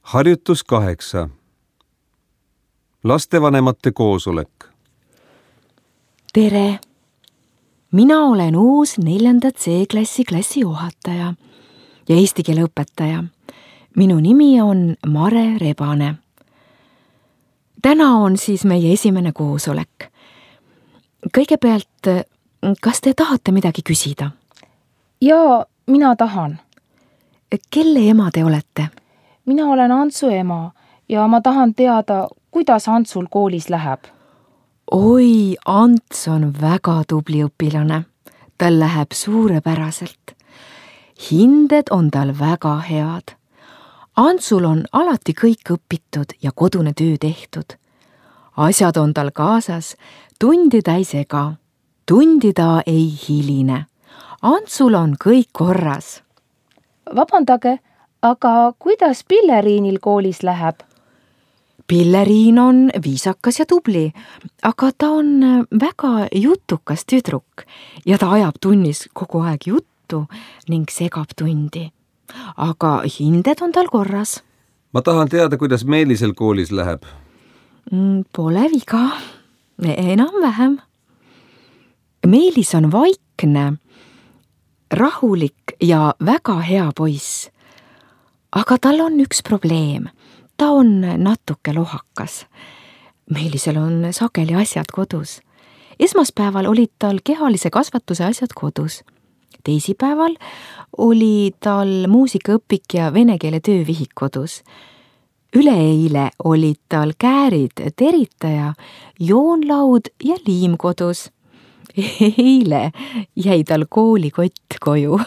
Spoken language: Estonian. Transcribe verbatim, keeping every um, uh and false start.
Harjutus kaheksa. Lastevanemate koosolek. Tere! Mina olen uus neljanda C-klassi klassijuhataja ja eesti keele õpetaja. Minu nimi on Mare Rebane. Täna on siis meie esimene koosolek. Kõigepealt, kas te tahate midagi küsida? Jaa, mina tahan. Kelle ema te olete? Mina olen Antsu ema ja ma tahan teada, kuidas Antsul koolis läheb. Oi, Ants on väga tubli õpilane. Tal läheb suurepäraselt. Hinded on tal väga head. Antsul on alati kõik õpitud ja kodune töö tehtud. Asjad on tal kaasas, tundi ta ei sega. Tundi ta ei hiline. Antsul on kõik korras. Vabandage, aga kuidas Pilleriinil koolis läheb? Pilleriin on viisakas ja tubli, aga ta on väga jutukas tüdruk ja ta ajab tunnis kogu aeg juttu ning segab tundi. Aga hinded on tal korras. Ma tahan teada, kuidas Meelisel koolis läheb. Pole viga, enam vähem. Meelis on vaikne, rahulik ja väga hea poiss. Aga tal on üks probleem. Ta on natuke lohakas. Meelisel on sageli asjad kodus. Esmaspäeval olid tal kehalise kasvatuse asjad kodus. Teisipäeval oli tal muusikaõpik ja vene keele töövihik kodus. Üleeile olid tal käärid, teritaja, joonlaud ja liim kodus. Eile jäi tal koolikott koju.